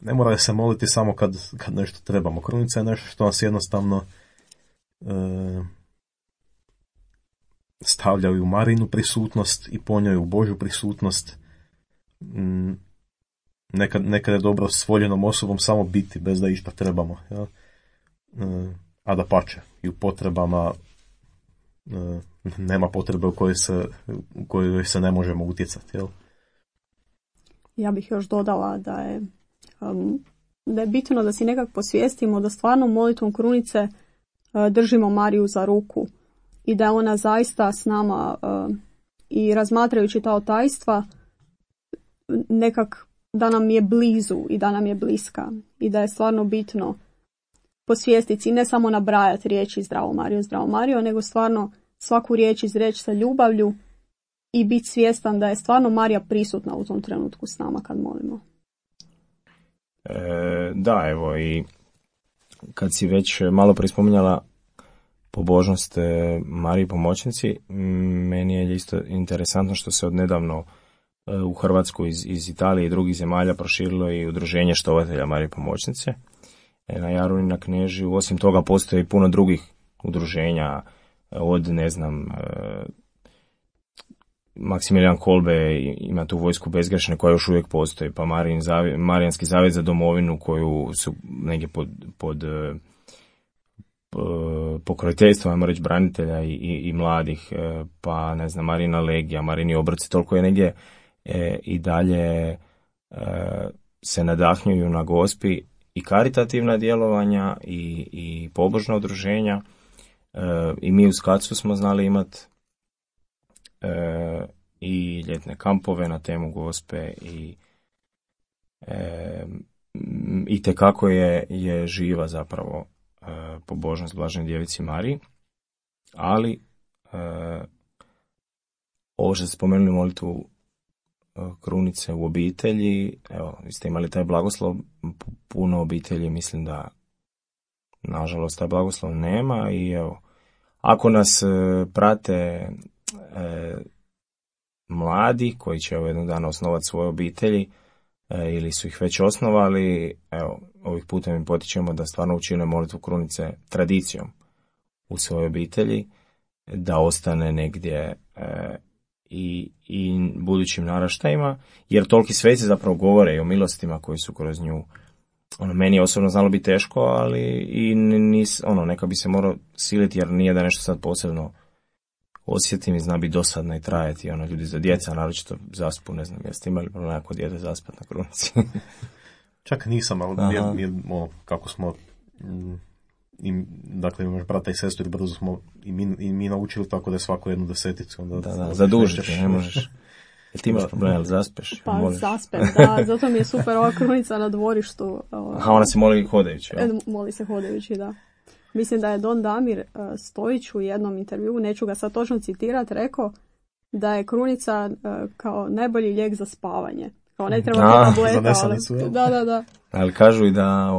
ne mora se moliti samo kad nešto trebamo. Krunica je nešto što nas jednostavno stavljaju u Marinu prisutnost i po njoj u Božju prisutnost. Nekad je dobro s voljenom osobom samo biti, bez da išta trebamo. Ja? A da pače, i u potrebama nema potrebe u kojoj se ne možemo utjecati. Jel? Ja bih još dodala da je bitno da si nekak posvijestimo da stvarno molitvom krunice držimo Mariju za ruku i da je ona zaista s nama i razmatrajući ta tajstva nekak da nam je blizu i da nam je bliska i da je stvarno bitno posvijestiti i ne samo nabrajati riječi Zdravo Marijo, nego stvarno svaku riječ izreći sa ljubavlju i biti svjestan da je stvarno Marija prisutna u tom trenutku s nama kad molimo. Da, evo, i kad si već malo prispominjala pobožnost Mariji pomoćnici, meni je isto interesantno što se odnedavno u Hrvatsku iz Italije i drugih zemalja proširilo i udruženje štovatelja Marije pomoćnice. Na Jaruni na Knežiju, osim toga postoji i puno drugih udruženja, od Maksimilijan Kolbe ima tu vojsku bezgrešne koja još uvijek postoji, pa Marijanski zavjet za domovinu koju su negdje pod pokroviteljstvom, ajmo reći, branitelja i mladih, pa ne znam, Marina Legija, Marini obroci, toliko je negdje i dalje se nadahnjuju na Gospi i karitativna djelovanja i pobožna udruženja. I mi u Skacu smo znali imati i ljetne kampove na temu Gospe i tekako je živa zapravo pobožnost Blaženoj Djevici Mariji, ali ovo što ste spomenuli molitvu krunice u obitelji, evo, vi ste imali taj blagoslov, puno obitelji mislim da nažalost taj blagoslov nema i evo, ako nas prate mladi koji će jednog dana osnovati svoje obitelji ili su ih već osnovali, evo, ovih putem im potičemo da stvarno učine molitvu krunice tradicijom u svojoj obitelji, da ostane negdje i budućim naraštajima, jer toliki sveci zapravo govore i o milostima koji su kroz nju. Meni je osobno znalo biti teško, ali i neka bi se morao siliti, jer nije da nešto sad posebno osjetim i zna biti dosadno i trajati. Ljudi za djeca, naročito zaspu, ne znam, jeste imali problem ako dijete zaspat na krunici? Čak nisam, ali kako smo, dakle imaš brata i sestru i brzo smo i mi naučili tako da je svako jednu deseticu. Onda da, zadužiti, ne možeš. Jel ti imaš problem, ali zaspeš? Pa zaspem, da, zato mi je super ova krunica na dvorištu. Aha, ona se moli hodajući. Moli se hodajući, da. Mislim da je Don Damir Stojić u jednom intervjuu, neću ga sad točno citirati, rekao da je krunica kao najbolji lijek za spavanje. Kao ne treba tableta, ali... Da. Ali kažu i da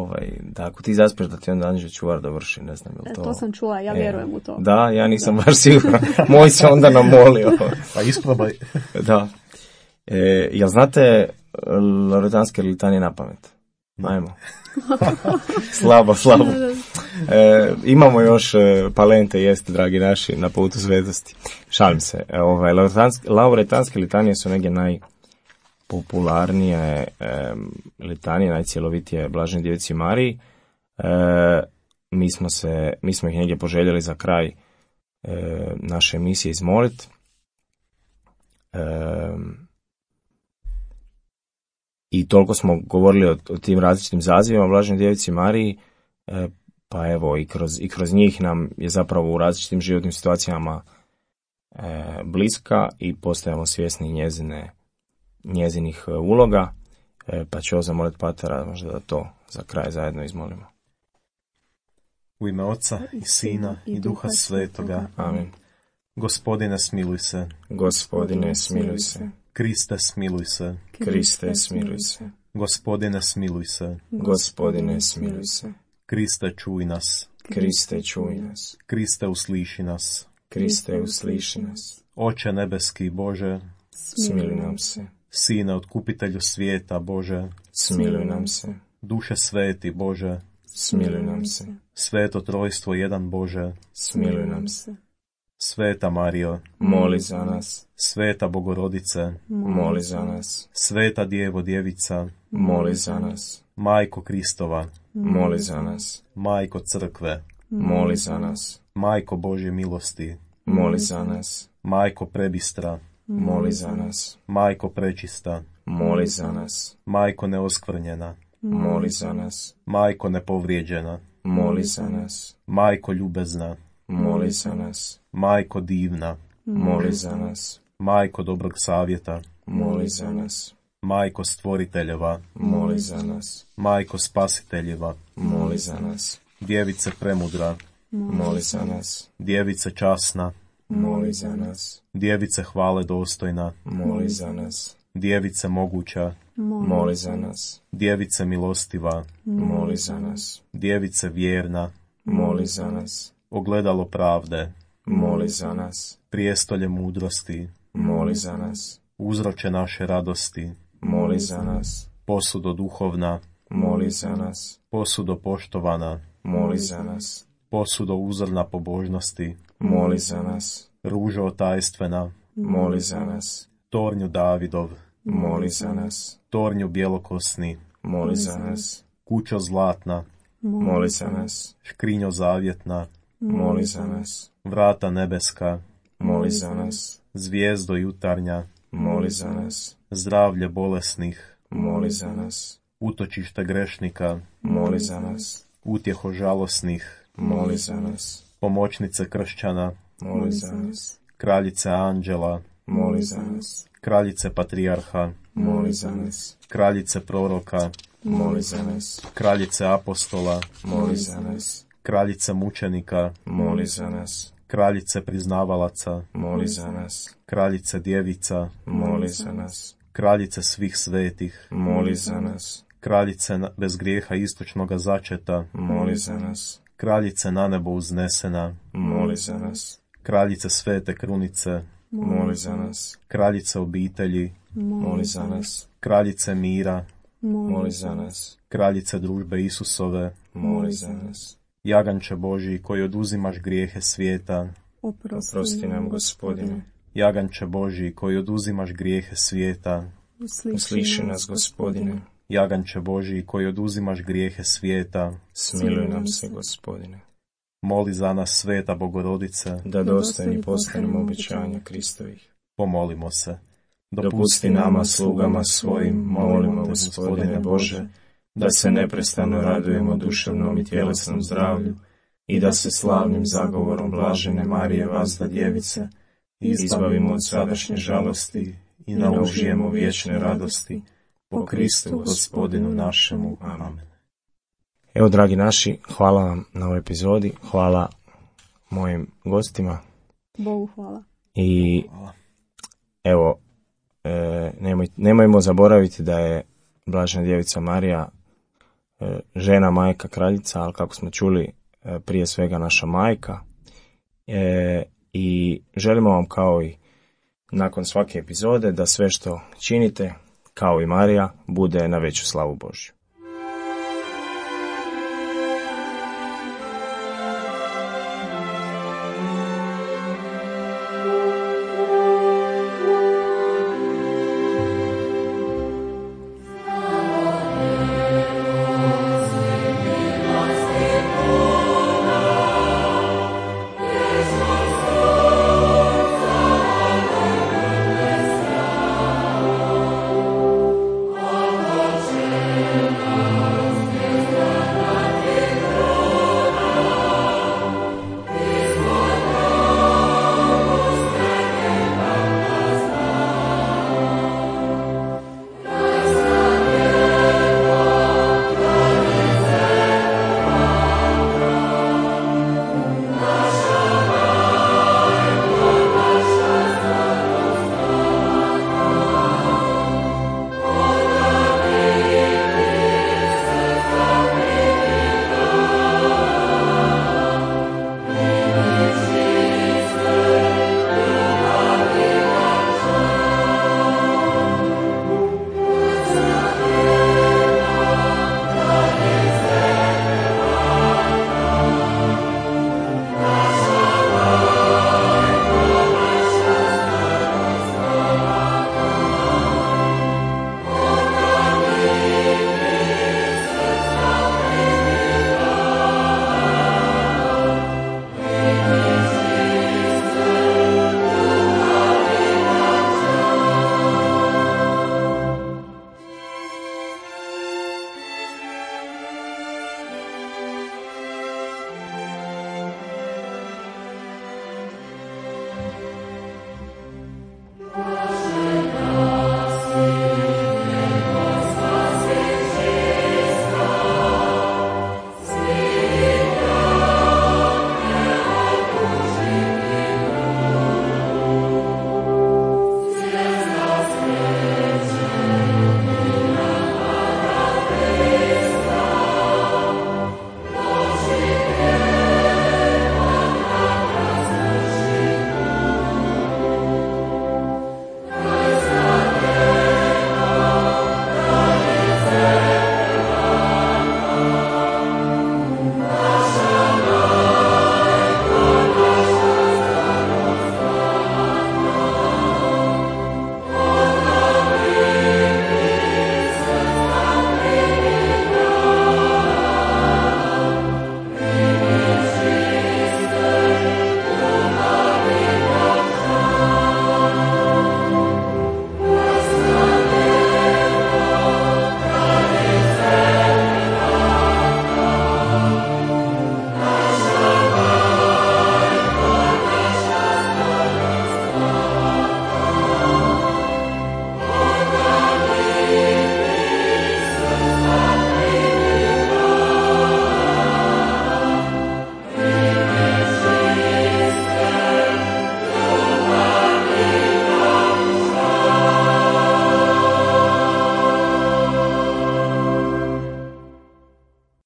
ako ti zaspeš da ti onda anđeo čuvar dovrši, ne znam je li to... To sam čula, ja vjerujem u to. Da, ja nisam baš siguran. Moj se onda namolio. Pa isprobaj. Da. Jel znate loretanske litanije na pamet? Ajmo. Slabo. Imamo još palente jesti, dragi naši, na putu svetosti. Šalim se. Loretanske litanije su negdje najpopularnije litanije, najcjelovitije Blaženoj Djevici Mariji. Mi smo ih negdje poželjeli za kraj naše emisije izmolit. I toliko smo govorili o tim različitim zazivima Blaženoj Djevici Mariji, pa evo i kroz njih nam je zapravo u različitim životnim situacijama bliska i postajemo svjesni njezinih uloga, pa ću zamoliti Patera možda da to za kraj zajedno izmolimo. U ime Oca i Sina i Duha Svetoga. Amin. Gospodine, smiluj se. Gospodine, smiluj se. Kriste, smiluj se. Kriste, smiluj se. Gospodine, smiluj se. Gospodine, smiluj se. Kriste, čuj nas. Kriste, čuj nas. Kriste, usliši nas. Kriste, usliši nas. Oče nebeski Bože, Smiluj nam se. Sine, otkupitelju svijeta Bože, Smiluj nam se. Duše sveti Bože, Smiluj nam se. Sveto trojstvo jedan Bože, Smiluj nam se. Sveta Marijo, Moli za nas. Sveta Bogorodice, Moli za nas. Sveta Djevo Djevica, Moli za nas. Majko Kristova, Moli za nas. Majko Crkve, Moli za nas. Majko Božje milosti, Moli za nas. Majko prebistra, Moli za nas. Majko prečista, Moli za nas. Majko neoskvrnjena, Moli za nas. Majko nepovrijeđena, Moli za nas. Majko ljubezna, Moli za nas. Majko divna, Moli za nas. Majko dobrog savjeta, Moli za nas. Majko stvoriteljeva, Moli za nas. Majko spasiteljeva, Moli za nas. Djevice premudra, Moli za nas. Djevice časna, Moli za nas. Djevice hvale dostojna, Moli za nas. Djevice moguća, Moli za nas. Djevice milostiva, Moli za nas. Djevice vjerna, Moli za nas. ogledalo pravde, Moli za nas. prijestolje mudrosti, Moli za nas. uzroče naše radosti, Moli za nas. posudo duhovna, Moli za nas. posudo poštovana, Moli za nas. posudo uzorna pobožnosti, Moli za nas. ružo tajstvena, Moli za nas. tornju Davidov, Moli za nas. tornju bjelokosni, Moli za nas. kućo zlatna, Moli za nas. škrinjo zavjetna, Moli za nas. vrata nebeska, Moli za nas. zvijezdo jutarnja, Moli za nas. zdravlje bolesnih, Moli za nas. utočište grešnika, Moli za nas. utjeho žalosnih, Moli za nas. pomoćnice kršćana, Moli za nas. kraljice anđela, Moli za nas. kraljice patrijarha, Moli za nas. kraljice proroka, Moli za nas. kraljice apostola, Moli za nas. kraljice mučenika, Moli za nas. kraljice priznavalaca, Moli za nas. kraljice djevica, Moli za nas. kraljice svih svetih, Moli za nas. kraljice bez grijeha istočnoga začeta, Moli za nas. kraljice na nebo uznesena, Moli za nas. kraljice svete krunice, Moli za nas. kraljice obitelji, Moli za nas. kraljice mira, Moli za nas. kraljice družbe Isusove, Moli za nas. jaganče Božji koji oduzimaš grijehe svijeta, Oprosti nam, Gospodine. jaganče Božji koji oduzimaš grijehe svijeta, Usliši nas, Gospodine. jaganče Božji koji oduzimaš grijehe svijeta, Smiluj nam se, Gospodine. moli za nas Sveta Bogorodice, Da dostojni postanemo obećanja Kristovih. pomolimo se. Dopusti nama, slugama svojim, molimo, Gospodine Bože, da se neprestano radujemo duševnom i tjelesnom zdravlju i da se slavnim zagovorom blažene Marije Vazda Djevice izbavimo od sadašnje žalosti i naužijemo vječne radosti po Kristu Gospodinu našemu. Amen. Evo, dragi naši, hvala vam na ovoj epizodi, hvala mojim gostima Bogu hvala. i evo, nemojmo zaboraviti da je Blažena Djevica Marija žena, majka, kraljica, ali kako smo čuli, prije svega naša majka. I želimo vam, kao i nakon svake epizode, da sve što činite, kao i Marija, bude na veću slavu Božju.